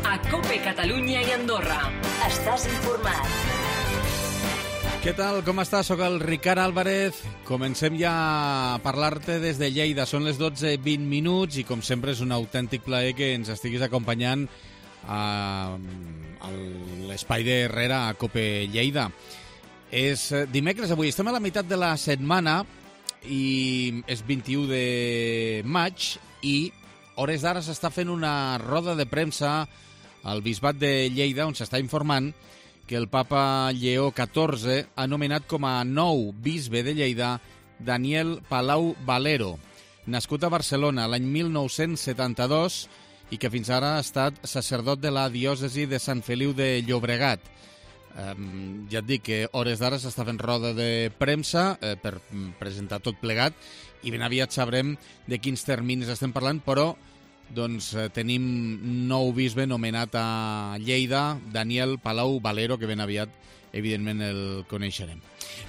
a COPE Catalunya i Andorra. Estàs informat. Què tal? Com estàs? Soc el Ricard Álvarez. Comencem ja a parlar-te des de Lleida. Són les 12:20 i, com sempre, és un autèntic plaer que ens estiguis acompanyant a l'espai de Herrera a COPE Lleida. És dimecres avui, estem a la meitat de la setmana i és 21 de maig i hores d'ara s'està fent una roda de premsa al Bisbat de Lleida on s'està informant que el papa Lleó XIV ha nomenat com a nou bisbe de Lleida Daniel Palau Valero, nascut a Barcelona l'any 1972 i que fins ara ha estat sacerdot de la diòcesi de Sant Feliu de Llobregat. Ja et dic que hores d'ara s'està fent roda de premsa per presentar tot plegat i ben aviat sabrem de quins terminis estem parlant, però doncs tenim nou bisbe nomenat a Lleida, Daniel Palau Valero, que ben aviat, evidentment, el coneixerem.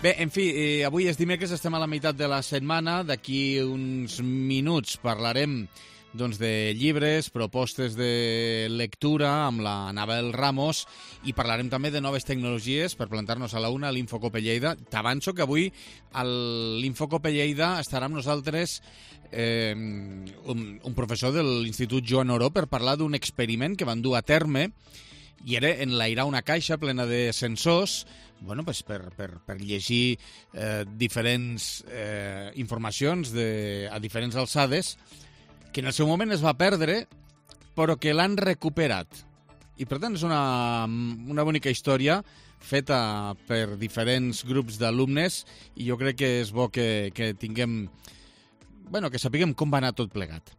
Bé, en fi, avui és dimecres, estem a la meitat de la setmana. D'aquí uns minuts parlarem doncs, de llibres, propostes de lectura amb la Anabel Ramos i parlarem també de noves tecnologies per plantar-nos a la una a l'Infocope Lleida. T'avanço que avui a l'Infocope Lleida estarà amb nosaltres un professor de l'Institut Joan Oró per parlar d'un experiment que van dur a terme i era enlairar una caixa plena de sensors per llegir diferents informacions a diferents alçades que en el seu moment es va perdre, però que l'han recuperat. I, per tant, és una bonica història feta per diferents grups d'alumnes i jo crec que és bo que tinguem... que sapiguem com va anar tot plegat.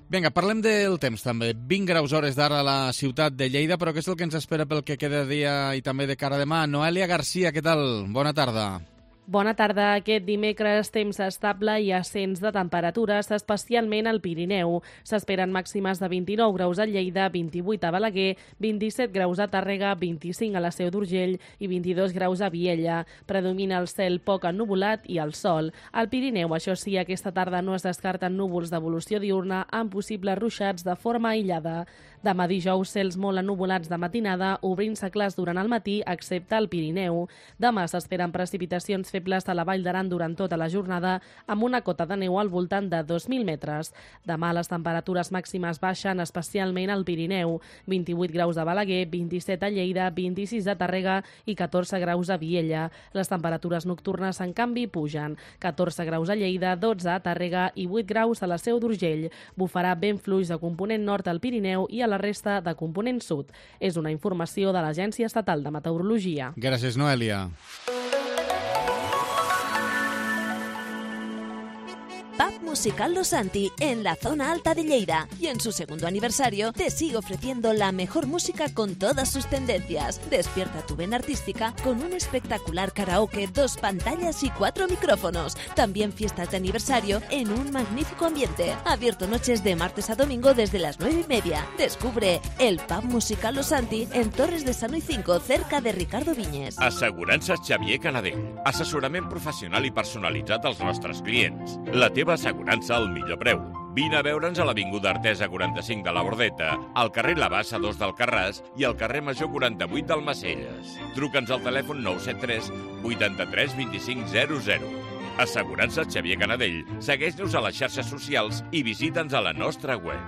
Vinga, parlem del temps, també. 20 graus hores d'ara a la ciutat de Lleida, però què és el que ens espera pel que queda de dia i també de cara a demà? Noelia Garcia, què tal? Bona tarda. Bona tarda. Aquest dimecres temps estable i ascens de temperatures, especialment al Pirineu. S'esperen màximes de 29 graus a Lleida, 28 a Balaguer, 27 graus a Tàrrega, 25 a la Seu d'Urgell i 22 graus a Viella. Predomina el cel poc ennuvolat i el sol. Al Pirineu, això sí, aquesta tarda no es descarten núvols d'evolució diurna amb possibles ruixats de forma aïllada. Demà dijous, cels molt ennuvolats de matinada, obrint-se clars durant el matí, excepte al Pirineu. Demà s'esperen precipitacions febles a la Vall d'Aran durant tota la jornada, amb una cota de neu al voltant de 2.000 metres. Demà les temperatures màximes baixen, especialment al Pirineu. 28 graus a Balaguer, 27 a Lleida, 26 a Tàrrega i 14 graus a Viella. Les temperatures nocturnes, en canvi, pugen. 14 graus a Lleida, 12 a Tàrrega i 8 graus a la Seu d'Urgell. Bufarà vent fluix de component nord al Pirineu i a la resta de component sud. És una informació de l'Agència Estatal de Meteorologia. Gràcies, Noelia. Pub Musical Los Santi, en la zona alta de Lleida. Y en su segundo aniversario te sigue ofreciendo la mejor música con todas sus tendencias. Despierta tu vena artística con un espectacular karaoke, 2 pantallas y 4 micrófonos. También fiestas de aniversario en un magnífico ambiente. Abierto noches de martes a domingo desde las 9:30. Descubre el Pub Musical Los Santi en Torres de Sano y 5, cerca de Ricardo Viñes. Assegurances Xavier Canadell. Assessorament professional i personalitzat als nostres clients. La teva assegurança al millor preu. Vine a veure'ns a l'Avinguda Artesa 45 de la Bordeta, al carrer La Bassa 2 del Carràs i al carrer Major 48 del Macelles. Truca'ns al telèfon 973 83 25 00. Assegurances Xavier Canadell. Segueix-nos a les xarxes socials i visita'ns a la nostra web.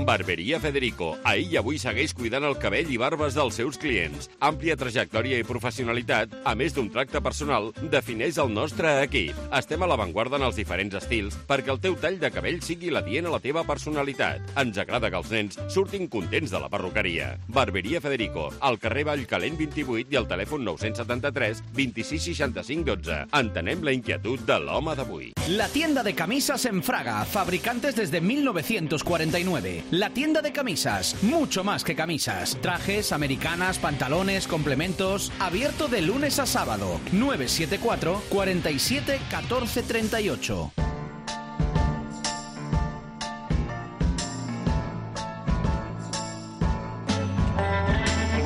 Barberia Federico. Ahir i avui segueix cuidant el cabell i barbes dels seus clients. Àmplia trajectòria i professionalitat, a més d'un tracte personal, defineix el nostre equip. Estem a l'avantguarda en els diferents estils perquè el teu tall de cabell sigui l'adient a la teva personalitat. Ens agrada que els nens surtin contents de la perruqueria. Barberia Federico, al carrer Vallcalent 28 i al telèfon 973 26 65 12. Entenem la inquietud de l'home d'avui. La tienda de camisas en Fraga, fabricantes desde 1949. La tienda de camisas, mucho más que camisas. Trajes, americanas, pantalones, complementos. Abierto de lunes a sábado. 974 47 14 38.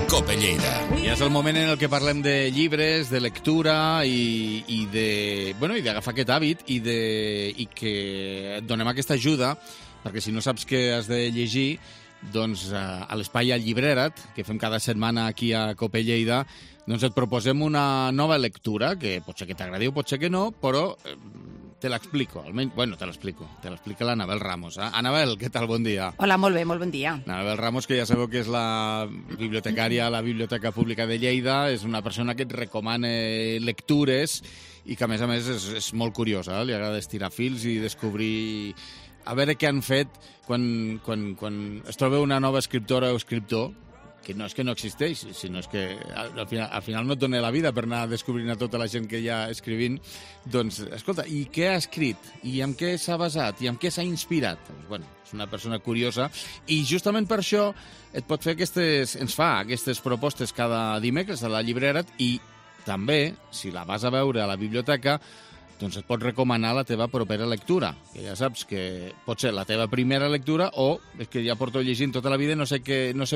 COPE Lleida. I és el moment en el que parlem de llibres, de lectura i d'agafar aquest hàbit i que et donem aquesta ajuda, perquè si no saps què has de llegir, doncs a l'Espai al Llibrera't, que fem cada setmana aquí a Cope Lleida, doncs et proposem una nova lectura, que pot ser que t'agradi o pot ser que no, però te l'explico. Almenys, bueno, te l'explica l'Anabel Ramos. Anabel, què tal? Bon dia. Hola, molt bé, molt bon dia. Anabel Ramos, que ja sabeu que és la bibliotecària a la Biblioteca Pública de Lleida, és una persona que et recomana lectures i que, a més, és molt curiosa. Li agrada estirar fils i descobrir... A veure què han fet quan es troba una nova escriptora o escriptor, que no és que no existeix, sinó és que al final no et dona la vida per anar descobrint a tota la gent que hi ha escrivint. Doncs, escolta, i què ha escrit? I en què s'ha basat? I en què s'ha inspirat? Doncs, bueno, és una persona curiosa i justament per això ens fa aquestes propostes cada dimecres a la Llibrera't i també, si la vas a veure a la biblioteca, doncs et pot recomanar la teva propera lectura, que ja saps que pot ser la teva primera lectura o és que ja porto llegint tota la vida i no sé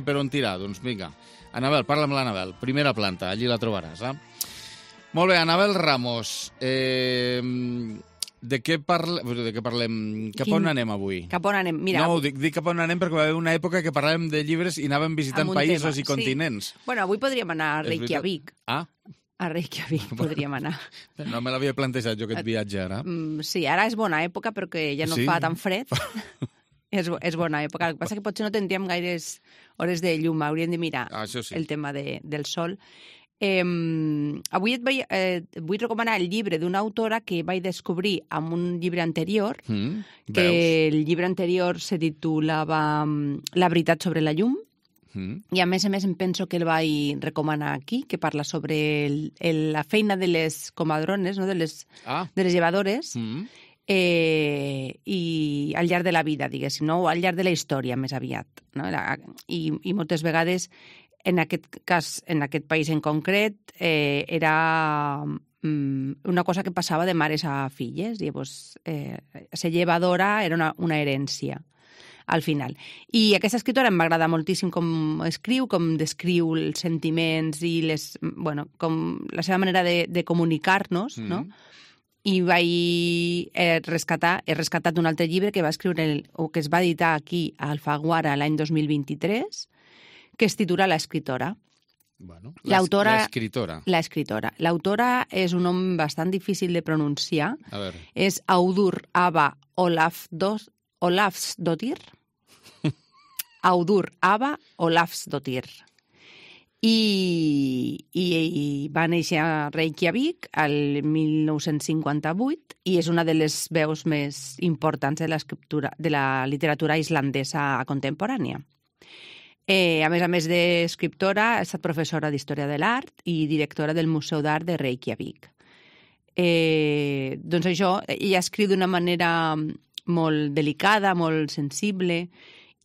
per on tirar. Doncs vinga, Anabel, parla amb l'Anabel. Primera planta, allí la trobaràs. Molt bé, Anabel Ramos, de què parlem? Cap on anem avui? Cap on anem? Mira, no, dic cap on anem perquè va haver una època que parlàvem de llibres i anàvem visitant països i continents. Bueno, avui podríem anar a Reykjavik. A Reykjavik podríem anar. No me l'havia plantejat jo aquest viatge ara. Sí, ara és bona època perquè ja no fa tan fred. És bona època. El que passa que potser no tindríem gaires hores de llum. Hauríem de mirar el tema del sol. Avui vull recomanar el llibre d'una autora que vaig descobrir amb un llibre anterior, que el llibre anterior se titulava La veritat sobre la llum, i a més em penso que el vaig recomanar aquí, que parla sobre la feina de les comadrones, no? de les llevadores, i al llarg de la vida, diguéssim, no? O al llarg de la història, més aviat. No? I moltes vegades, en aquest cas, en aquest país en concret, era una cosa que passava de mares a filles. Llavors, ser llevadora era una herència al final. I aquesta escriptora em va agradar moltíssim com escriu, com descriu els sentiments i com la seva manera de comunicar-nos, no? I he rescatat un altre llibre que va escriure o que es va editar aquí a Alfaguara l'any 2023, que es titula L'escriptora. Bueno, l'escriptora. L'autora és un nom bastant difícil de pronunciar. És Auður Ava Olafsdóttir. Auður Ava Olafsdóttir. I va néixer a Reykjavik el 1958 i és una de les veus més importants de la literatura islandesa contemporània. A més d'escriptora, ha estat professora d'Història de l'Art i directora del Museu d'Art de Reykjavik. Doncs això, ella escriu d'una manera molt delicada, molt sensible,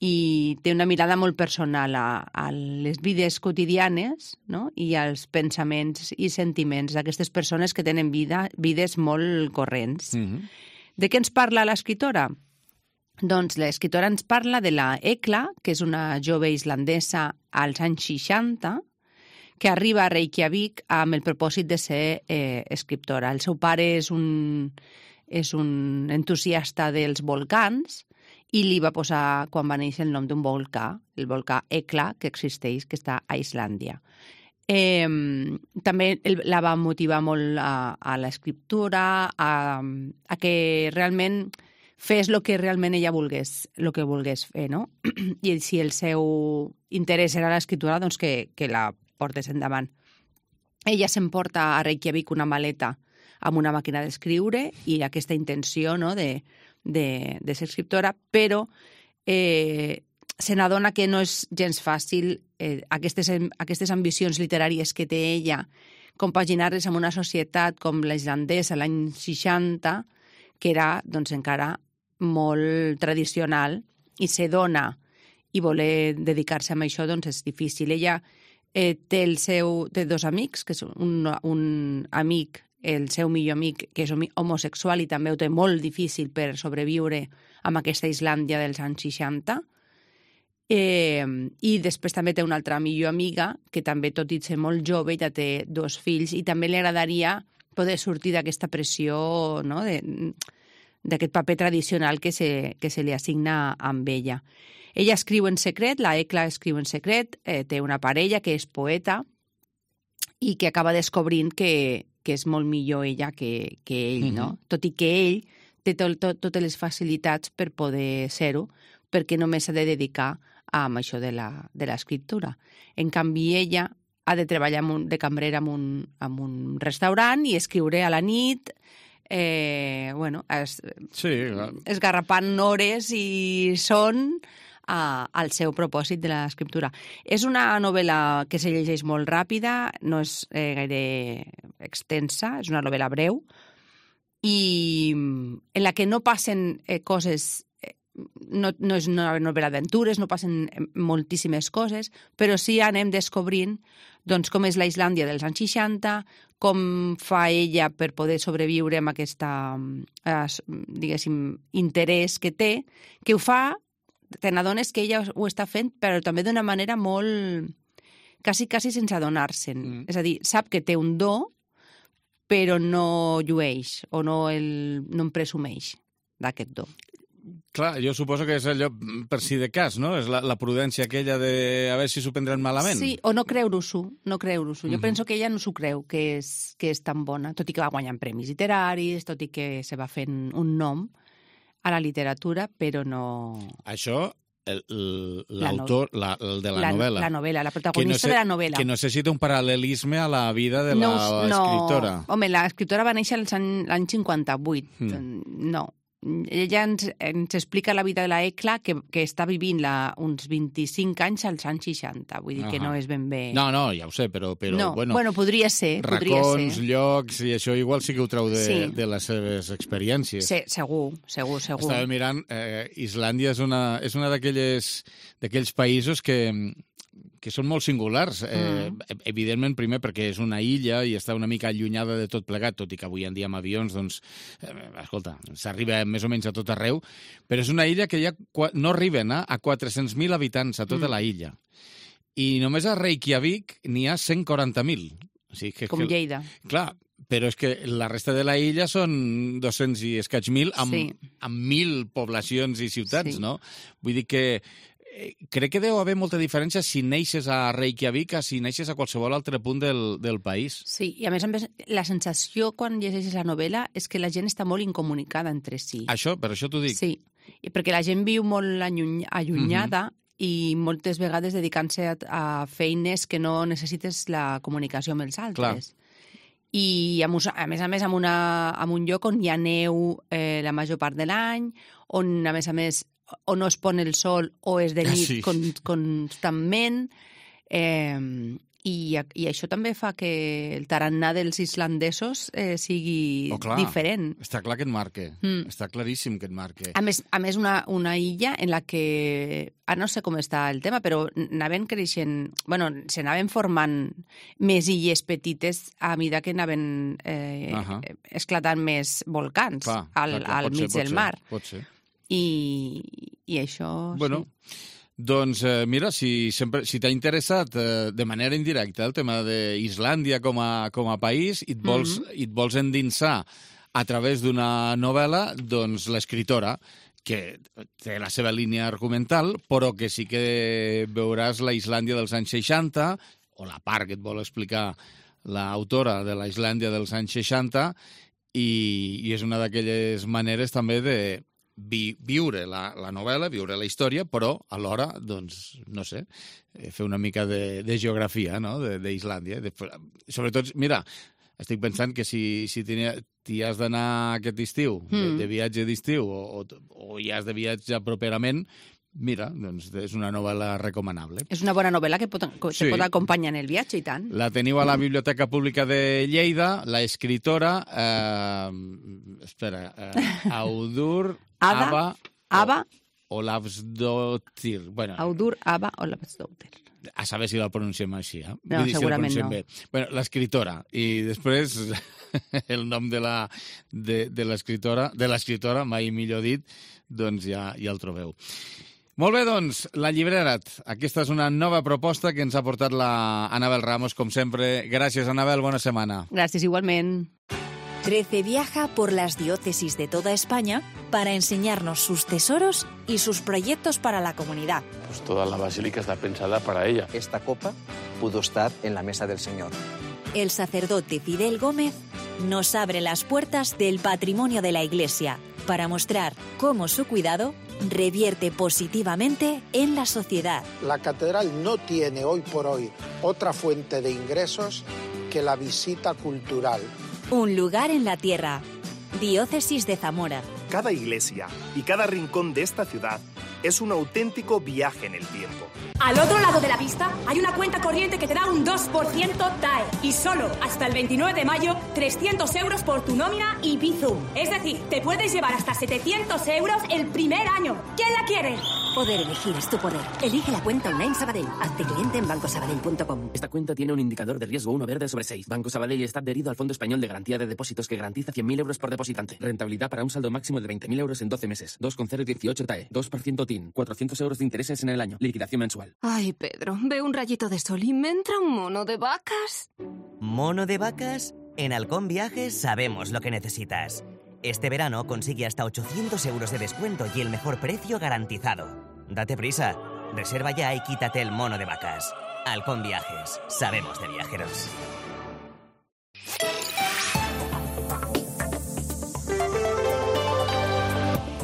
i té una mirada molt personal a les vides quotidianes, no? I als pensaments i sentiments d'aquestes persones que tenen vides molt corrents. De què ens parla l'escriptora? Doncs l'escriptora ens parla de la Ekla, que és una jove islandesa als anys 60, que arriba a Reykjavik amb el propòsit de ser escriptora. El seu pare és un entusiasta dels volcans i li va posar, quan va néixer, el nom d'un volcà, el volcà Ekla, que existeix, que està a Islàndia. També la va motivar molt a l'escriptura, a que realment fes el que realment ella volgués fer, no? I si el seu interès era l'escriptura, doncs que la portés endavant. Ella s'emporta a Reykjavik una maleta amb una màquina d'escriure i aquesta intenció, no?, de ser escriptora, però se n'adona que no és gens fàcil aquestes ambicions literàries que té ella, compaginar-les amb una societat com la islandesa l'any 60, que era doncs, encara molt tradicional, i se dona i voler dedicar-se a això doncs, és difícil. Ella té dos amics, que és un amic, el seu millor amic, que és homosexual i també ho té molt difícil per sobreviure amb aquesta Islàndia dels anys 60. I després també té una altra millor amiga, que també, tot i ser molt jove, ja té 2 fills, i també li agradaria poder sortir d'aquesta pressió, no?, d'aquest paper tradicional que se li assigna amb ella. Ella escriu en secret, la Ekla escriu en secret, té una parella que és poeta i que acaba descobrint que és molt millor ella que ell, no? Tot i que ell té totes les facilitats per poder ser-ho, perquè només s'ha de dedicar a això de l'escriptura. En canvi, ella ha de treballar de cambrera en un restaurant i escriure a la nit, esgarrapant hores i son al seu propòsit de l'escriptura. És una novel·la que se llegeix molt ràpida, no és gaire extensa, és una novel·la breu, i en la que no passen coses, no és una novel·la d'aventures, no passen moltíssimes coses, però sí anem descobrint doncs, com és la Islàndia dels anys 60, com fa ella per poder sobreviure amb aquesta, diguéssim, interès que té, que ho fa, te n'adones que ella ho està fent, però també d'una manera molt... quasi sense adonar-se'n. És a dir, sap que té un do, però no llueix o no en presumeix d'aquest do. Clar, jo suposo que és allò per si de cas, no? És la prudència aquella de a veure si s'ho prendran malament. Sí, o no creure-s'ho, Jo penso que ella no s'ho creu, que és tan bona, tot i que va guanyant premis literaris, tot i que se va fent un nom a la literatura, però no... Això... l'autor, el de la novel·la. La novel·la, la protagonista de la novel·la. Que necessita un paral·lelisme a la vida de l'escriptora. No, home, l'escriptora va néixer l'any 58. No. Ella ens explica la vida de la Ekla, que està vivint uns 25 anys als anys 60. Vull dir que no és ben bé... No, ja ho sé, però no. Bueno, podria ser. Racons, llocs, i això igual sí que ho treu de les seves experiències. Sí, segur. Estava mirant, Islàndia és una d'aquells països que són molt singulars. Evidentment, primer, perquè és una illa i està una mica allunyada de tot plegat, tot i que avui en dia amb avions, doncs, escolta, s'arriba més o menys a tot arreu, però és una illa que ja no arriben a 400.000 habitants a tota la illa. I només a Reykjavik n'hi ha 140.000. O sigui com Lleida. Clar, però és que la resta de la illa són 200 i escaig mil, amb 1.000 poblacions i ciutats, no? Vull dir que crec que deu haver molta diferència si neixes a Reykjavik que si neixes a qualsevol altre punt del país. Sí, i a més, la sensació quan llegeixes la novel·la és que la gent està molt incomunicada entre si. Per això t'ho dic. Sí, perquè la gent viu molt allunyada i moltes vegades dedicant-se a feines que no necessites la comunicació amb els altres. Clar. I a més, en un lloc on hi ha neu la major part de l'any, on a més o no es pon el sol o és de nit constantment, i això també fa que el tarannà dels islandesos sigui diferent. Està clar que et marca, està claríssim que et marca. A més una illa en la que, no sé com està el tema, però anaven creixent, s'anaven formant més illes petites a mesura que anaven esclatant més volcans al mig del mar. Pot ser. I això... Bueno, doncs mira, si t'ha interessat de manera indirecta el tema d'Islàndia com a país i et vols endinsar a través d'una novel·la, doncs l'escriptora, que té la seva línia argumental, però que sí que veuràs la Islàndia dels anys 60, o la part que et vol explicar l'autora de la Islàndia dels anys 60, i és una d'aquelles maneres també de viure la novel·la, viure la història, però alhora, doncs, no sé, fer una mica de geografia, no?, d'Islàndia. Sobretot, mira, estic pensant que si t'hi has d'anar aquest estiu, de viatge d'estiu, o hi has de viatjar properament, mira, doncs és una novel·la recomanable. És una bona novel·la que se pot acompanyar en el viatge, i tant. La teniu a la Biblioteca Pública de Lleida, la escritora, Audur Ava Olavsdóttir. Audur Ava Olavsdóttir. A saber si la pronunciem així, eh? No, segurament no. Bueno, l'escriptora. I després el nom de l'escriptora, mai millor dit, doncs ja el trobeu. Molt bé, doncs, La Llibrera't. Aquesta és una nova proposta que ens ha portat la Anabel Ramos, com sempre. Gràcies, Anabel, bona setmana. Gràcies, igualment. 13 viaja por las diócesis de toda España para enseñarnos sus tesoros y sus proyectos para la comunidad. Pues toda la basílica está pensada para ella. Esta copa pudo estar en la mesa del Señor. El sacerdote Fidel Gómez nos abre las puertas del patrimonio de la Iglesia para mostrar cómo su cuidado revierte positivamente en la sociedad. La catedral no tiene hoy por hoy otra fuente de ingresos que la visita cultural. Un lugar en la tierra. Diócesis de Zamora. Cada iglesia y cada rincón de esta ciudad es un auténtico viaje en el tiempo. Al otro lado de la pista hay una cuenta corriente que te da un 2% TAE y solo hasta el 29 de mayo 300 euros por tu nómina y Bizum. Es decir, te puedes llevar hasta 700 euros el primer año. ¿Quién la quiere? Poder elegir es tu poder. Elige la cuenta online Sabadell. Hazte cliente en bancosabadell.com. Esta cuenta tiene un indicador de riesgo 1 verde sobre 6. Banco Sabadell está adherido al Fondo Español de Garantía de Depósitos que garantiza 100.000 euros por depositante. Rentabilidad para un saldo máximo de 20.000 euros en 12 meses. 2,018 TAE. 2% TIN. 400 euros de intereses en el año. Liquidación mensual. Ay, Pedro, veo un rayito de sol y me entra un mono de vacas. ¿Mono de vacas? En Halcón Viajes sabemos lo que necesitas. Este verano consigue hasta 800 euros de descuento y el mejor precio garantizado. Date prisa. Reserva ya y quítate el mono de vacas. Halcón Viajes. Sabemos de viajeros.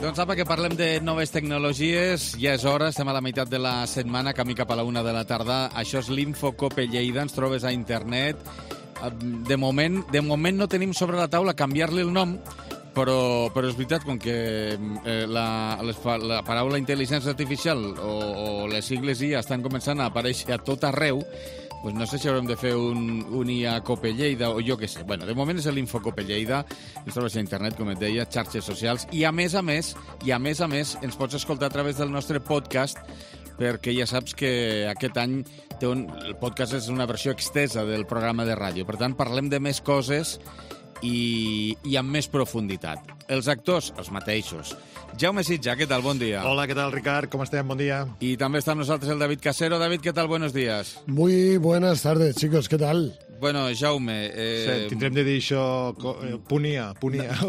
Doncs apa, que parlem de noves tecnologies. Ja és hora, estem a la meitat de la setmana, camí cap a la 1 de la tarda. Això és l'Infocope Lleida, ens trobes a internet. De moment no tenim sobre la taula canviar-li el nom, però és veritat, com que la paraula intel·ligència artificial o les sigles IA estan començant a aparèixer a tot arreu, pues no sé si haurem de fer un IA Cope Lleida o jo què sé. Bueno, de moment és l'Infocope Lleida, ens trobes a internet, com et deia, xarxes socials, i a més a més, ens pots escoltar a través del nostre podcast, perquè ja saps que aquest any el podcast és una versió extesa del programa de ràdio. Per tant, parlem de més coses i amb més profunditat. Els actors, els mateixos. Jaume Sitja, què tal? Bon dia. Hola, què tal, Ricard? Com estem? Bon dia. Y también está con nosotros el David Casero. David, ¿qué tal? Buenos días. Muy buenas tardes, chicos. ¿Qué tal? Bueno, Jaume... Sí, tindrem de dir això... Punia.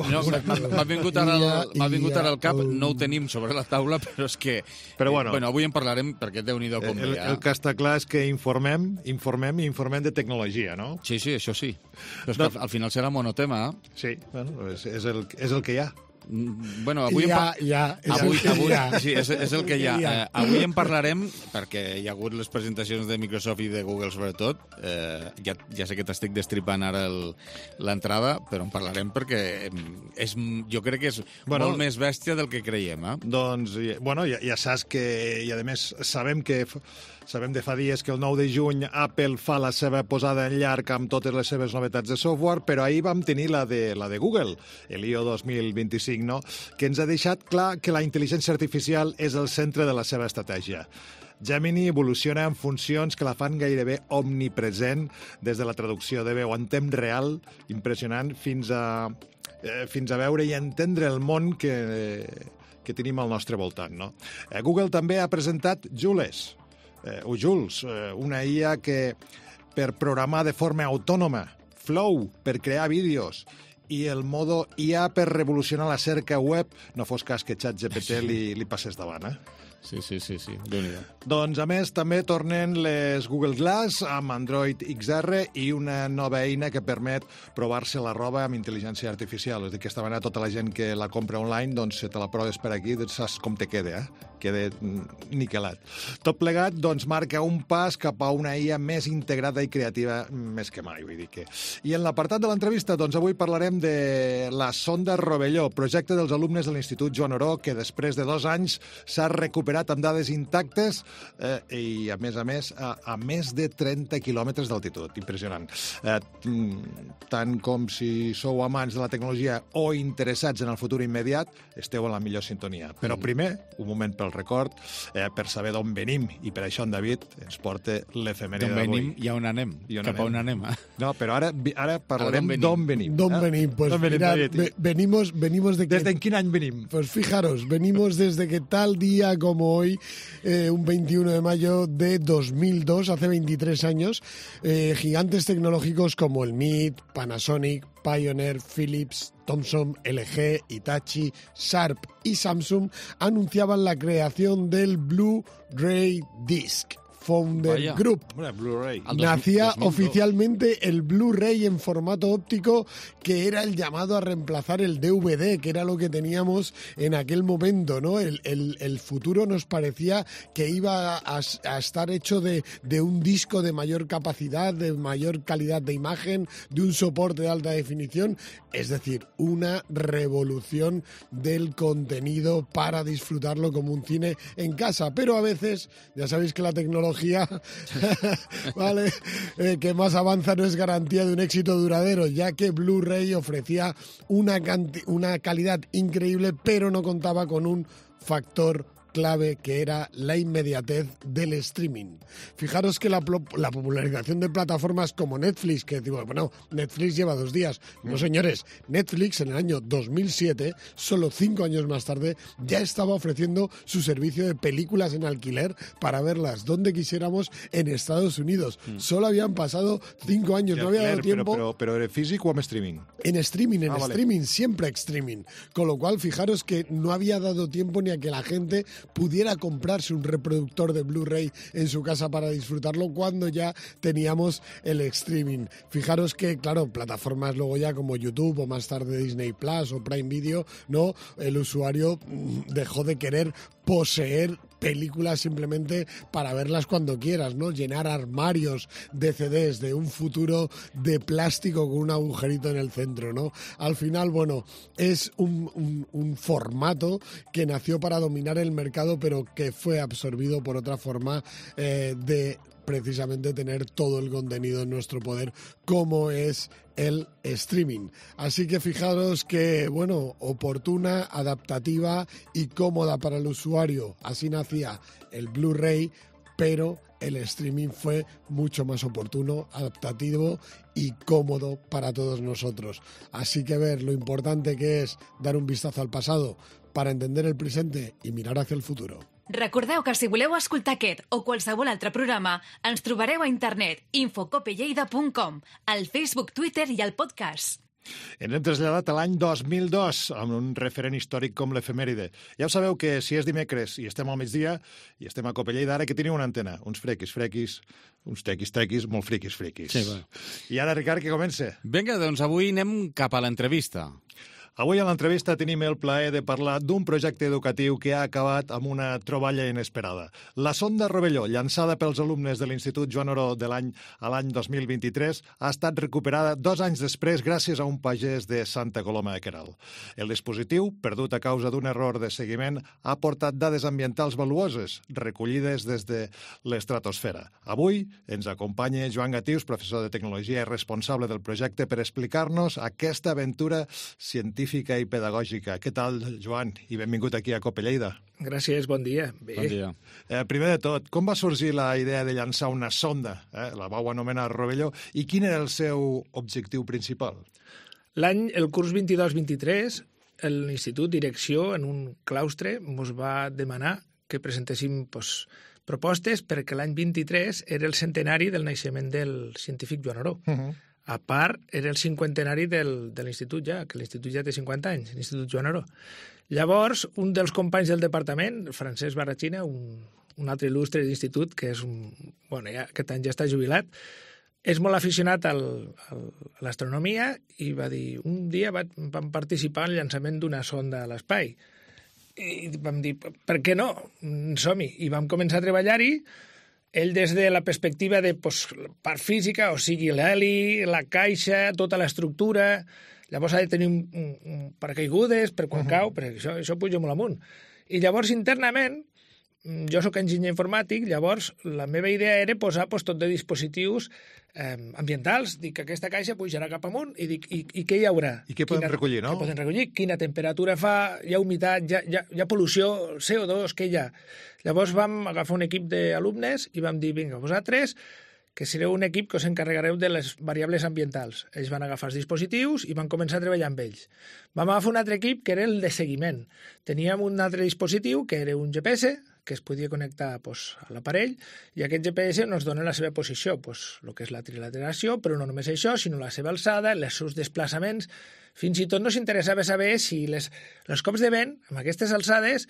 No, m'ha vingut ara al cap, no ho tenim sobre la taula, però és que... Però bueno, avui en parlarem, perquè Déu-n'hi-do com ve. El que està clar és que informem de tecnologia, no? Sí, això sí. Però és que al final serà monotema, eh? Sí, bueno, és el que hi ha. Bueno, avui sí, és el que hi ha. Avui en parlarem, perquè hi ha hagut les presentacions de Microsoft i de Google sobretot. Ja sé que t'estic destripant ara l'entrada, però en parlarem perquè jo crec que és molt més bèstia del que creiem. Doncs, bueno, ja saps que, i a més sabem de fa dies que el 9 de juny Apple fa la seva posada en llarg amb totes les seves novetats de software, però ahir vam tenir la de Google, l'I.O. 2025, no? Que ens ha deixat clar que la intel·ligència artificial és el centre de la seva estratègia. Gemini evoluciona en funcions que la fan gairebé omnipresent, des de la traducció de veu en temps real, impressionant, fins a veure i entendre el món que tenim al nostre voltant, no? Google també ha presentat Jules, una IA que per programar de forma autònoma, Flow per crear vídeos i el modo IA per revolucionar la cerca web, no fos cas que ChatGPT li passés davant, Sí, Déu-n'hi-do. Doncs, a més, també tornen les Google Glass amb Android XR i una nova eina que permet provar-se la roba amb intel·ligència artificial. És a dir, aquesta manera tota la gent que la compra online, doncs, si te la proves per aquí, saps com te queda, Queda niquelat. Tot plegat, doncs, marca un pas cap a una IA més integrada i creativa més que mai, vull dir que... I en l'apartat de l'entrevista, doncs, avui parlarem de la sonda Rovelló, projecte dels alumnes de l'Institut Joan Oró, que després de 2 anys s'ha recuperat amb dades intactes i, a més, a més de 30 quilòmetres d'altitud. Impressionant. Tant com si sou amants de la tecnologia o interessats en el futur immediat, esteu en la millor sintonia. Però primer, un moment pel record, per saber d'on venim, i per això en David ens porta l'efemèride d'avui. D'on venim i on anem. Cap a on anem, No, però ara parlarem d'on venim. D'on venim. pues mirad, venimos de que... ¿Desde en quin any venim? Pues fijaros, venimos desde que tal día como hoy, un 21 de mayo de 2002, hace 23 años, gigantes tecnológicos como el MIT, Panasonic, Pioneer, Philips, Thomson, LG, Hitachi, Sharp y Samsung anunciaban la creación del Blu-ray Disc. Founder Vaya. Group. Blu-ray. Nacía oficialmente el Blu-ray en formato óptico, que era el llamado a reemplazar el DVD, que era lo que teníamos en aquel momento, ¿no? El futuro nos parecía que iba a estar hecho de un disco de mayor capacidad, de mayor calidad de imagen, de un soporte de alta definición, es decir, una revolución del contenido para disfrutarlo como un cine en casa. Pero a veces, ya sabéis que la tecnología ¿vale? Que más avanza no es garantía de un éxito duradero, ya que Blu-ray ofrecía una calidad increíble, pero no contaba con un factor clave que era la inmediatez del streaming. Fijaros que la popularización de plataformas como Netflix, que digo, bueno, Netflix lleva 2 días. No, señores, Netflix en el año 2007, solo 5 años más tarde, ya estaba ofreciendo su servicio de películas en alquiler para verlas donde quisiéramos en Estados Unidos. Solo habían pasado 5 años, no había dado tiempo. Pero ¿en físico o en streaming? En streaming, vale. Streaming, siempre streaming. Con lo cual, fijaros que no había dado tiempo ni a que la gente pudiera comprarse un reproductor de Blu-ray en su casa para disfrutarlo cuando ya teníamos el streaming. Fijaros que, claro, plataformas luego ya como YouTube o más tarde Disney Plus o Prime Video, ¿no? El usuario dejó de querer poseer películas simplemente para verlas cuando quieras, ¿no? Llenar armarios de CDs de un futuro de plástico con un agujerito en el centro, ¿no? Al final, bueno, es un formato que nació para dominar el mercado, pero que fue absorbido por otra forma de precisamente tener todo el contenido en nuestro poder, como es el streaming. Así que fijaros que, bueno, oportuna, adaptativa y cómoda para el usuario. Así nacía el Blu-ray, pero el streaming fue mucho más oportuno, adaptativo y cómodo para todos nosotros. Así que ver lo importante que es dar un vistazo al pasado para entender el presente y mirar hacia el futuro. Recordeu que si voleu escoltar aquest o qualsevol altre programa, ens trobareu a internet infocopelleida.com, al Facebook, Twitter i al podcast. Ens hem traslladat a l'any 2002 amb un referent històric com l'efemèride. Ja ho sabeu que si és dimecres i estem al migdia i estem a Copelleida, ara que teniu una antena, uns frequis, uns tequis, molt friquis. Sí, bueno. I ara, Ricard, que comença. Vinga, doncs avui anem cap a l'entrevista. Avui a l'entrevista tenim el plaer de parlar d'un projecte educatiu que ha acabat amb una troballa inesperada. La sonda Rovelló, llançada pels alumnes de l'Institut Joan Oró a l'any 2023, ha estat recuperada 2 anys després gràcies a un pagès de Santa Coloma de Queralt. El dispositiu, perdut a causa d'un error de seguiment, ha portat dades ambientals valuoses, recollides des de l'estratosfera. Avui ens acompanya Joan Gatius, professor de Tecnologia i responsable del projecte, per explicar-nos aquesta aventura científica i pedagògica. Què tal, Joan? I benvingut aquí a Copelleida. Gràcies, bon dia. Bé. Bon dia. Primer de tot, com va sorgir la idea de llançar una sonda? La vau anomenar Rovelló. I quin era el seu objectiu principal? El curs 22-23, l'Institut Direcció, en un claustre, ens va demanar que presentéssim propostes perquè l'any 23 era el centenari del naixement del científic Joan Oró. A part, era el 50enari de l'Institut ja, que l'Institut ja té 50 anys, l'Institut Joan Oró. Llavors, un dels companys del departament, Francesc Barrachina, un altre il·lustre d'institut, que és aquest any ja està jubilat, és molt aficionat a l'astronomia i va dir, un dia vam participar en el llançament d'una sonda a l'espai. I vam dir, per què no? Som-hi. I vam començar a treballar-hi. Ell des de la perspectiva de part física, o sigui, l'heli, la caixa, tota l'estructura, llavors ha de tenir un paracaigudes per quan cau, perquè això puja molt amunt. I llavors internament, jo sóc enginyer informàtic, llavors la meva idea era posar tot de dispositius ambientals, dic que aquesta caixa pujarà cap amunt i dic, i què hi haurà? I què podem recollir, no? Què podem recollir? Quina temperatura fa? Hi ha humitat? Hi ha pol·lució? CO2? Què hi ha? Llavors vam agafar un equip d'alumnes i vam dir, vinga, vosaltres, que sereu un equip que us encarregareu de les variables ambientals. Ells van agafar els dispositius i van començar a treballar amb ells. Vam agafar un altre equip que era el de seguiment. Teníem un altre dispositiu que era un GPS, que es podia connectar a l'aparell, i aquest GPS ens dona la seva posició, el que és la trilateral·lació, però no només això, sinó la seva alçada, els seus desplaçaments. Fins i tot no s'interessava saber si els cops de vent, amb aquestes alçades,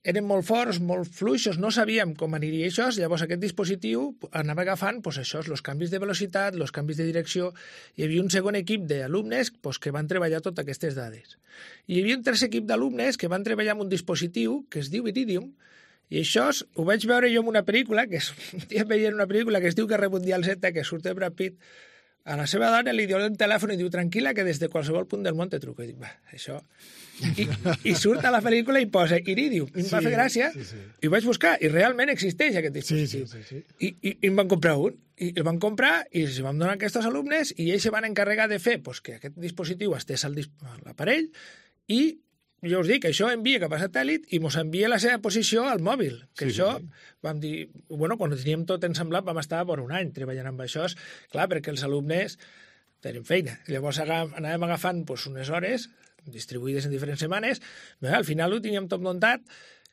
eren molt forts, molt fluixos, no sabíem com aniria això, llavors aquest dispositiu anava agafant això, els canvis de velocitat, els canvis de direcció. Hi havia un segon equip d'alumnes que van treballar totes aquestes dades. I hi havia un tercer equip d'alumnes que van treballar amb un dispositiu que es diu Iridium, i això ho vaig veure jo en una pel·lícula, un dia veia una pel·lícula que es diu Guerra Mundial Z, que surt de Brad Pitt. A la seva dona li diu el telèfon i diu, tranquil·la, que des de qualsevol punt del món te truco. I dic, això... I surt a la pel·lícula i posa Iridium. I em va fer gràcia, i ho vaig buscar, i realment existeix aquest dispositiu. I em van comprar un. I el van comprar i els vam donar a aquests alumnes i ells se van encarregar de fer que aquest dispositiu estés a l'aparell i jo us dic, això envia cap a satèl·lit i mos envia la seva posició al mòbil. Vam dir, quan ho teníem tot ensamblat vam estar per un any treballant amb això, clar, perquè els alumnes tenen feina. Llavors anàvem agafant unes hores distribuïdes en diferents setmanes, al final ho teníem tot muntat.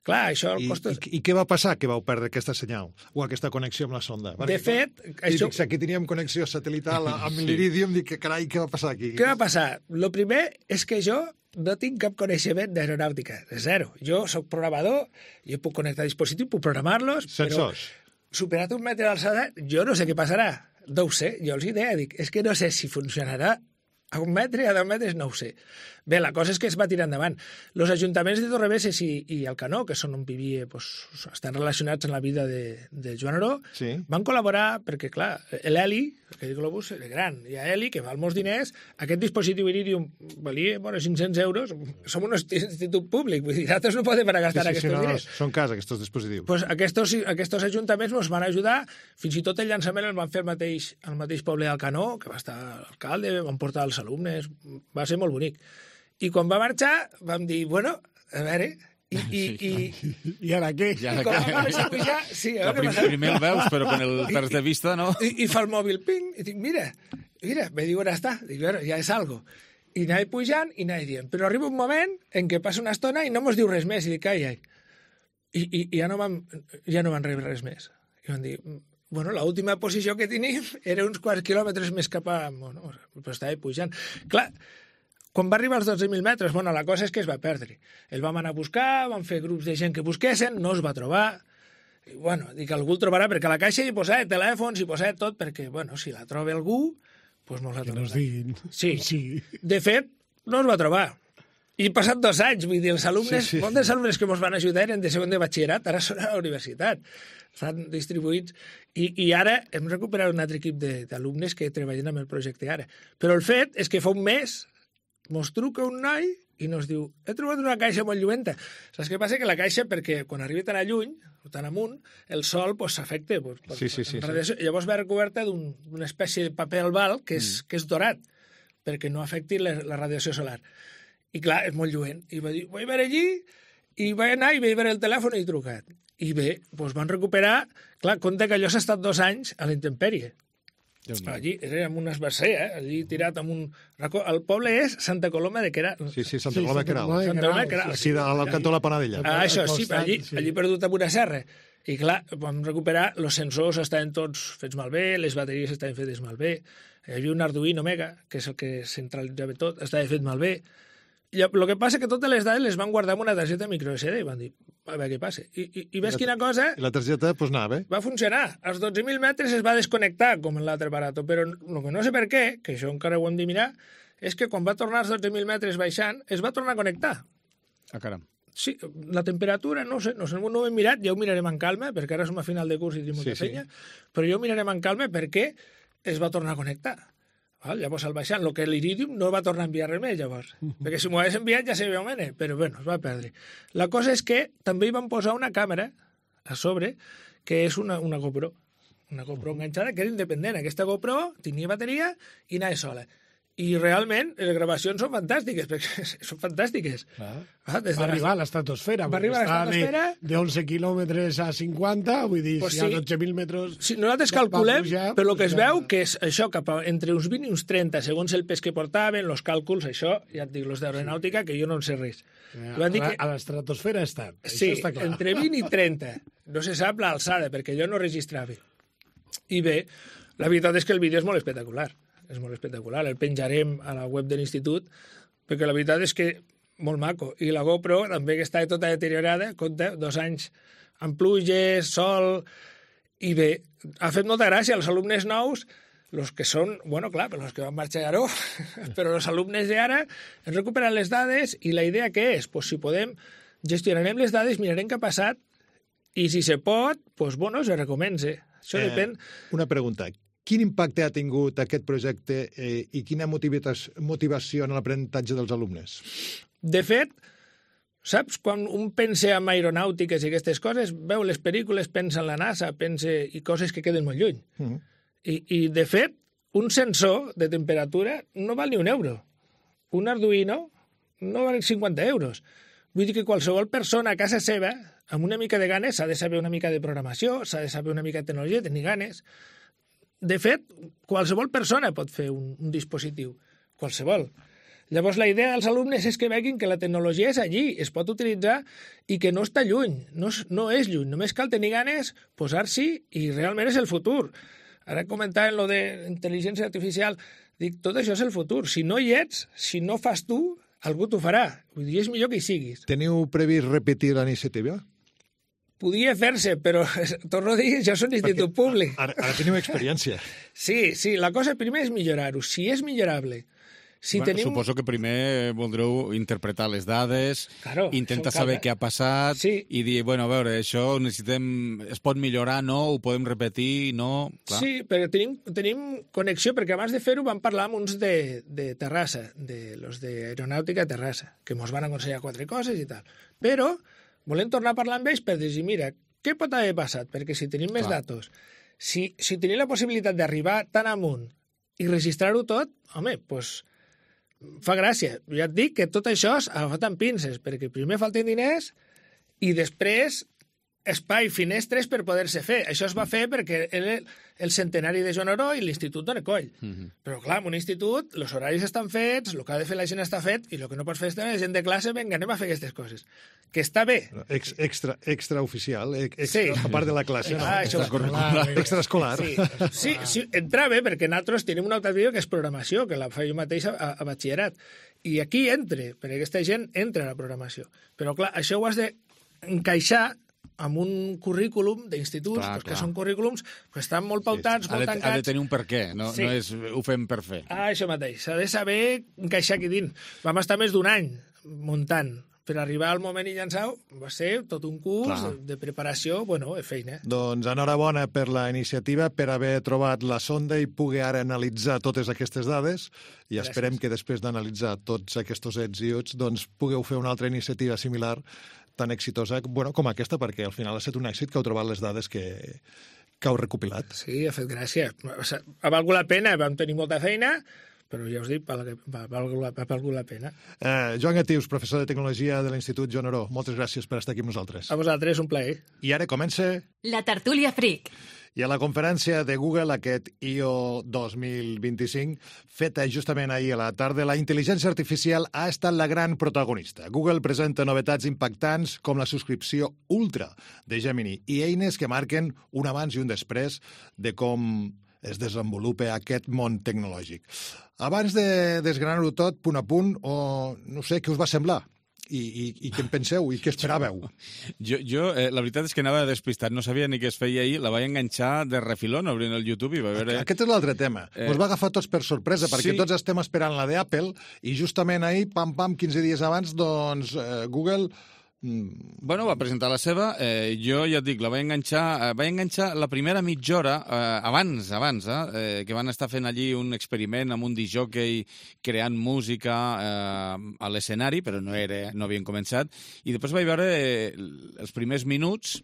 Clar, això... I què va passar que vau perdre aquesta senyal o aquesta connexió amb la sonda? De fet... Aquí teníem connexió satelital amb l'Iridium, dic, carai, què va passar aquí? Què va passar? El primer és que jo no tinc cap coneixement d'aeronàutica, zero. Jo soc programador, jo puc connectar dispositius, puc programar-los, però superat un metre d'alçada, jo no sé què passarà. No ho sé, jo els idea, dic, és que no sé si funcionarà a 1 metre, a 2 metres, no ho sé. Bé, la cosa és que es va tirar endavant. Els ajuntaments de Torrebesses i Alcanó, que són on vivia, estan relacionats en la vida de Joan Oró, van col·laborar perquè, clar, l'heli, aquest globus era gran, hi ha heli, que val molts diners, aquest dispositiu Iridium valia 500 euros, som un institut públic, vull dir, nosaltres no podem gastar aquests diners. Són cas, aquests dispositius. Pues aquests ajuntaments ens van ajudar, fins i tot el llançament el van fer al mateix poble d'Alcanó, que va estar l'alcalde, van portar els alumnes, va ser molt bonic. I quan va marxar vam dir, a veure... I ara què? Primer el veus, però quan el perds de vista, no? I fa el mòbil, ping, i dic, mira, me diu, on està? Dic, ja és algo. I anava pujant i anava dient, però arriba un moment en què passa una estona i no mos diu res més, i dic, ai. I ja no van rebre res més. I van dir, l'última posició que tenim era uns quants quilòmetres més cap a... però estava pujant. Clar, quan va arribar als 12.000 metres, la cosa és que es va perdre. El vam anar a buscar, vam fer grups de gent que busquessin, no es va trobar. I, dic, algú el trobarà, perquè a la caixa hi posava telèfons, hi posava tot, perquè, si la troba algú, doncs mos la trobarà. Que nos diguin. Sí. De fet, no es va trobar. I passat 2 anys, vull dir, els alumnes, molts dels alumnes que ens van ajudar eren de segon de batxillerat, ara són a la universitat, estan distribuïts, i ara hem recuperat un altre equip d'alumnes que treballen amb el projecte ara. Però el fet és que fa un mes mos truca un noi i nos diu, he trobat una caixa molt lluenta. Saps què passa? Que la caixa, perquè quan arriba tan lluny, o tan amunt, el sol s'afecta. Llavors va recoberta d'una espècie de paper albal que és dorat, perquè no afecti la radiació solar. I clar, és molt lluent. I va dir, vaig veure allí, i vaig anar i vaig veure el telèfon i he trucat. I bé, van recuperar... Clar, compte que allò s'ha estat 2 anys a la intempèrie. Allí era amb un esbarcer, allí tirat amb un racó. El poble és Santa Coloma de Queralt. Sí, Santa Coloma de Queralt. Sí, al cantó de la Panadella. Això, sí, allí perdut amb una serra. I clar, vam recuperar, els sensors estaven tots fets malbé, les bateries estaven fetes malbé, hi havia un Arduino Mega, que és el que centralitzava tot, estava fet malbé. El que passa és que totes les dades les van guardar en una targeta micro SD i van dir, a veure què passa. I ves quina cosa... I la targeta, anava bé. Va funcionar. Als 12.000 metres es va desconnectar, com en l'altre aparato, però el que no sé per què, que això encara ho hem de mirar, és que quan va tornar als 12.000 metres baixant, es va tornar a connectar. Caram. Sí, la temperatura, no sé, no ho hem mirat, ja ho mirarem en calma, perquè ara som a final de curs i tenim molta feina, però ja ho mirarem en calma perquè es va tornar a connectar. Llavors, al baixant, el que l'Iridium no va tornar a enviar res més, llavors. Perquè si m'ho hagués enviat ja sabia on era, però bueno, es va perdre. La cosa és que també hi van posar una càmera a sobre, que és una GoPro. Una GoPro enganxada, que era independent. Aquesta GoPro tenia bateria i anava sola. I realment les gravacions són fantàstiques, perquè són fantàstiques. Va arribar a l'estratosfera. Va arribar a l'estratosfera. De 11 quilòmetres a 50, vull dir, si hi ha 12.000 metres... Si nosaltres calculem, per lo que es veu, que és això, entre uns 20 i uns 30, segons el pes que portaven, els càlculs, això, ja et dic, els d'aeronàutica, que jo no en sé res. A l'estratosfera estan, sí, això està clar. Entre 20 i 30. No se sap l'alçada, perquè jo no registrava. I bé, la veritat és que el vídeo és molt espectacular. És molt espectacular. El penjarem a la web de l'institut, perquè la veritat és que molt maco. I la GoPro també, que està tota deteriorada, compta 2 anys amb pluges, sol... I bé, ha fet molta gràcia als alumnes nous, els que són, bueno, clar, per els que van marxar a Garó, però els alumnes d'ara han recuperat les dades i la idea què és? Pues si podem, gestionarem les dades, mirarem què ha passat i si se pot, pues bueno, se recomença. Això depèn... Una pregunta. Quin impacte ha tingut aquest projecte i quina motivació en l'aprenentatge dels alumnes? De fet, saps, quan un pensa en aeronàutiques i aquestes coses, veu les pel·lícules, pensa en la NASA, pensa i coses que queden molt lluny. I de fet, un sensor de temperatura no val ni €1. Un Arduino no val 50 euros. Vull dir que qualsevol persona a casa seva, amb una mica de ganes, s'ha de saber una mica de programació, s'ha de saber una mica de tecnologia, tenir ganes. De fet, qualsevol persona pot fer un dispositiu, qualsevol. Llavors, la idea dels alumnes és que veguin que la tecnologia és allí, es pot utilitzar i que no està lluny, no és lluny. Només cal tenir ganes, posar-s'hi i realment és el futur. Ara comentàvem lo de intel·ligència artificial, dic, tot això és el futur. Si no hi ets, si no fas tu, algú t'ho farà. Vull dir, és millor que hi siguis. Teniu previst repetir la iniciativa? Podia fer-se, però, torno a dir, jo soc institut públic. Ara teniu experiència. Sí, la cosa primer és millorar-ho. Si és millorable, Suposo que primer voldreu interpretar les dades, intentar saber què ha passat i dir, bueno, a veure, això necessitem... Es pot millorar, no? Ho podem repetir, no? Clar. Sí, però tenim connexió, perquè abans de fer-ho vam parlar amb uns de Terrassa, los d'Aeronàutica de Terrassa, que ens van aconsellar 4 coses i tal. Però volem tornar a parlar amb ells per dir, mira, què pot haver passat? Perquè si tenim més datos, si tenim la possibilitat d'arribar tan amunt i registrar-ho tot, home, doncs fa gràcia. Ja et dic que tot això és agafat amb pinces, perquè primer falten diners i després espai, finestres per poder-se fer. Això es va fer perquè era el centenari de Joan Oró i l'Institut Dona Coll. Però, clar, en un institut, els horaris estan fets, el que ha de fer la gent està fet, i el que no pots fer és la gent de classe, vinga, anem a fer aquestes coses. Que està bé. Extraoficial, a part de la classe. Extraescolar. Sí, entra bé, perquè nosaltres tenim una altra vida que és programació, que la faig jo mateix a batxillerat. I aquí entra, perquè aquesta gent entra a la programació. Però, clar, això ho has d'encaixar amb un currículum d'instituts, que són currículums que estan molt pautats, molt tancats. Ha de tenir un per què, no és ho fem per fer. Això mateix, s'ha de saber encaixar aquí dins. Vam estar més d'1 any muntant. Per arribar al moment i llançar va ser tot un curs de preparació, bueno, feina. Doncs enhorabona per la iniciativa, per haver trobat la sonda i poder ara analitzar totes aquestes dades i esperem que després d'analitzar tots aquests ets i uts doncs pugueu fer una altra iniciativa similar tan exitosa com aquesta, perquè al final ha estat un èxit que heu trobat les dades que heu recopilat. Sí, ha fet gràcia. Ha valgut la pena, vam tenir molta feina, però ja us dic, ha valgut la pena. Joan Gatius, professor de Tecnologia de l'Institut Joan Oró, moltes gràcies per estar aquí amb nosaltres. A vosaltres, un plaer. I ara comença... La tertúlia Freak. I a la conferència de Google, aquest I.O. 2025, feta justament ahir a la tarda, la intel·ligència artificial ha estat la gran protagonista. Google presenta novetats impactants com la subscripció Ultra de Gemini i eines que marquen un abans i un després de com es desenvolupa aquest món tecnològic. Abans de desgranar-ho tot, punt a punt, no sé, què us va semblar? I què en penseu? I què esperàveu? Jo la veritat és que anava despistat, no sabia ni què es feia ahir, la vaig enganxar de refilón obrint el YouTube i va veure... Aquest és l'altre tema. Us va agafar tots per sorpresa, perquè tots estem esperant la d'Apple i justament ahir, 15 dies abans, doncs Google... Bueno, va presentar la seva, jo ja et dic, la vaig enganxar la primera mitja hora, abans, que van estar fent allí un experiment amb un discjòquei creant música a l'escenari, però no havien començat, i després vaig veure els primers minuts,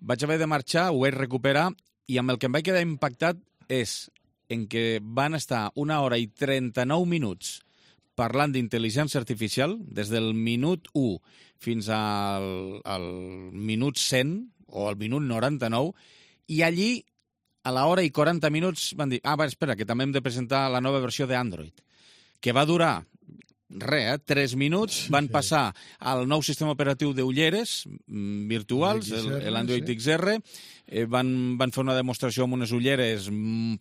vaig haver de marxar, ho vaig recuperar, i amb el que em vaig quedar impactat és en què van estar 1 hora i 39 minuts parlant d'intel·ligència artificial, des del minut 1 fins al minut 100 o al minut 99, i allí, a l'hora i 40 minuts, van dir, espera, que també hem de presentar la nova versió d'Android, que va durar 3 minuts, van passar al nou sistema operatiu d'ulleres virtuals, l'Android XR, van fer una demostració amb unes ulleres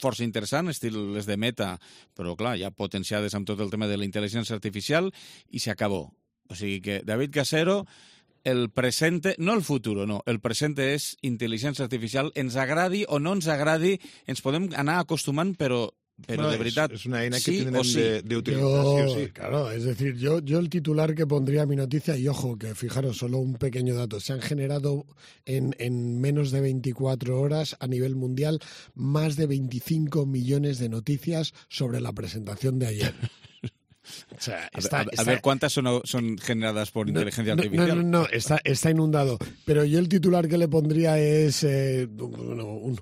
força interessants, estil les de Meta, però clar, ja potenciades amb tot el tema de la intel·ligència artificial, i s'acabó. O sigui que David Casero, el presente, no el futuro, no, el presente és intel·ligència artificial, ens agradi o no ens agradi, ens podem anar acostumant, pero de verdad, es una eina que sí tienen de utilizar, sí o sí. Claro, es decir, yo el titular que pondría a mi noticia, y ojo, que fijaros, solo un pequeño dato, se han generado en menos de 24 horas a nivel mundial más de 25 millones de noticias sobre la presentación de ayer. O sea, a ver cuántas son generadas por inteligencia artificial. No, está inundado. Pero yo el titular que le pondría es un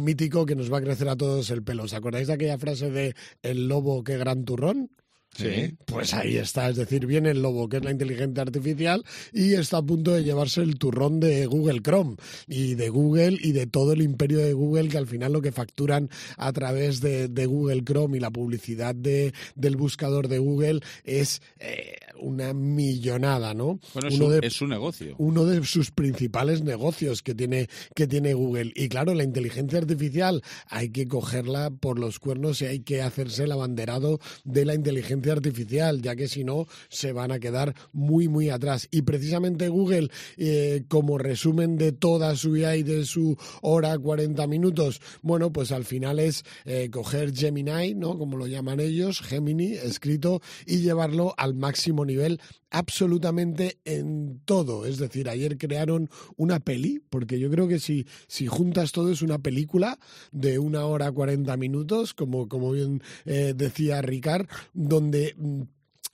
mítico que nos va a crecer a todos el pelo. ¿Os acordáis de aquella frase de el lobo qué gran turrón? Sí. Pues ahí está, es decir, viene el lobo, que es la inteligencia artificial, y está a punto de llevarse el turrón de Google Chrome y de Google y de todo el imperio de Google, que al final lo que facturan a través de Google Chrome y la publicidad del buscador de Google es una millonada, ¿no? Bueno, es su negocio. Uno de sus principales negocios que tiene Google. Y claro, la inteligencia artificial hay que cogerla por los cuernos y hay que hacerse el abanderado de la inteligencia artificial, ya que si no se van a quedar muy, muy atrás. Y precisamente Google, como resumen de toda su IA y de su hora 40 minutos, bueno, pues al final es coger Gemini, ¿no? Como lo llaman ellos, Gemini, escrito, y llevarlo al máximo nivel absolutamente en todo. Es decir, ayer crearon una peli, porque yo creo que si juntas todo es una película de 1 hora 40 minutos, como bien decía Ricard, donde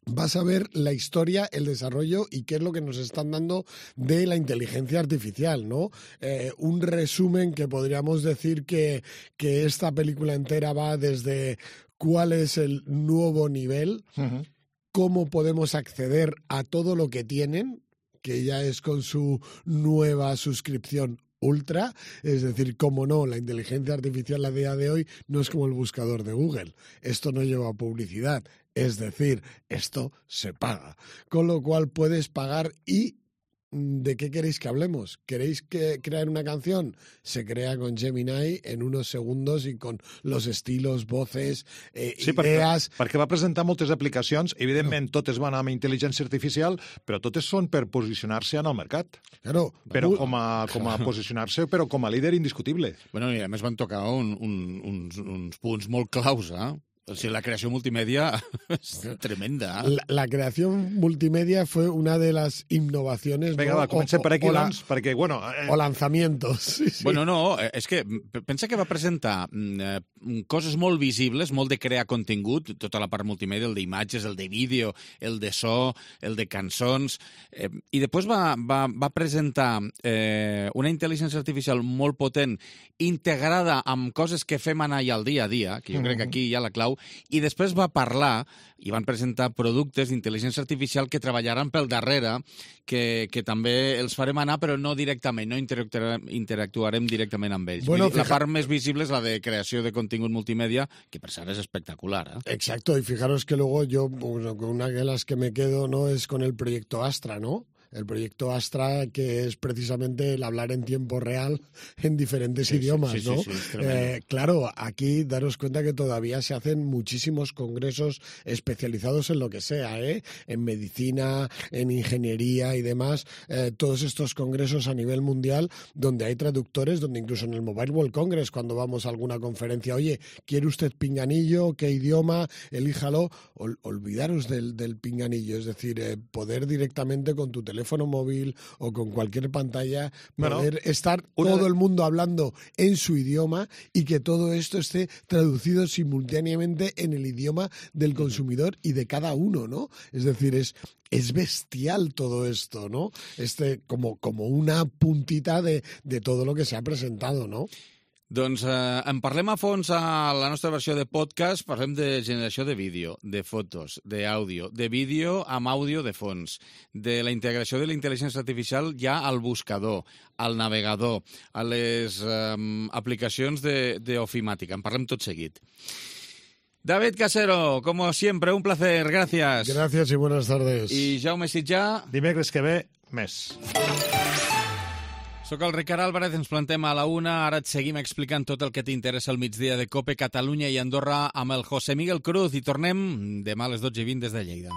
vas a ver la historia, el desarrollo y qué es lo que nos están dando de la inteligencia artificial, ¿no? Un resumen que podríamos decir que esta película entera va desde cuál es el nuevo nivel, cómo podemos acceder a todo lo que tienen, que ya es con su nueva suscripción Ultra, es decir, cómo no, la inteligencia artificial a día de hoy no es como el buscador de Google. Esto no lleva publicidad, es decir, esto se paga. Con lo cual puedes pagar y... ¿de qué queréis que hablemos? ¿Queréis crear una canción? Se crea con Gemini en unos segundos i con los estilos, voces, idees... Perquè va presentar moltes aplicacions, evidentment totes van amb intel·ligència artificial, però totes són per posicionar-se en el mercat. Claro. Però com a posicionar-se, però com a líder indiscutible. Bueno, i a més van tocar uns punts molt claus, O sigui, la creació multimèdia és tremenda. La creación multimedia fue una de las innovaciones... Vinga, va, comencem per aquí, doncs, perquè, bueno... O lanzamientos. Sí, sí. Bueno, no, és que pensa que va presentar coses molt visibles, molt de crear contingut, tota la part multimèdia, el d'imatges, el de vídeo, el de so, el de cançons, i després va presentar una intel·ligència artificial molt potent, integrada amb coses que fem anar ja al dia a dia, que jo crec que aquí hi ha la clau, i després va parlar i van presentar productes d'intel·ligència artificial que treballaran pel darrere, que també els farem anar, però no directament, no interactuarem directament amb ells. Bueno, la part més visible és la de creació de contingut multimèdia, que per cert és espectacular. Exacto, y fijaros que luego yo, bueno, una de las que me quedo, ¿no?, es con el proyecto Astra, ¿no? El proyecto Astra, que es precisamente el hablar en tiempo real en diferentes idiomas, ¿no? Sí, claro, aquí daros cuenta que todavía se hacen muchísimos congresos especializados en lo que sea, en medicina, en ingeniería y demás, todos estos congresos a nivel mundial donde hay traductores, donde incluso en el Mobile World Congress, cuando vamos a alguna conferencia, oye, ¿quiere usted pinganillo? ¿Qué idioma? Elíjalo. Olvidaros del pinganillo, es decir, poder directamente con tu teléfono móvil o con cualquier pantalla poder estar todo el mundo hablando en su idioma y que todo esto esté traducido simultáneamente en el idioma del consumidor y de cada uno, ¿no? Es decir, es bestial todo esto, ¿no? Como una puntita de todo lo que se ha presentado, ¿no? Doncs en parlem a fons a la nostra versió de podcast, parlem de generació de vídeo, de fotos, d'àudio, de vídeo amb àudio de fons, de la integració de la intel·ligència artificial ja al buscador, al navegador, a les aplicacions d'ofimàtica. En parlem tot seguit. David Casero, como siempre, un placer, gracias. Gracias y buenas tardes. I Jaume Sitjà. Dimecres que ve, més. Soc el Ricard Álvarez, ens plantem a la 1. Ara et seguim explicant tot el que t'interessa al migdia de COPE Catalunya i Andorra amb el José Miguel Cruz i tornem demà a les 12:20 des de Lleida.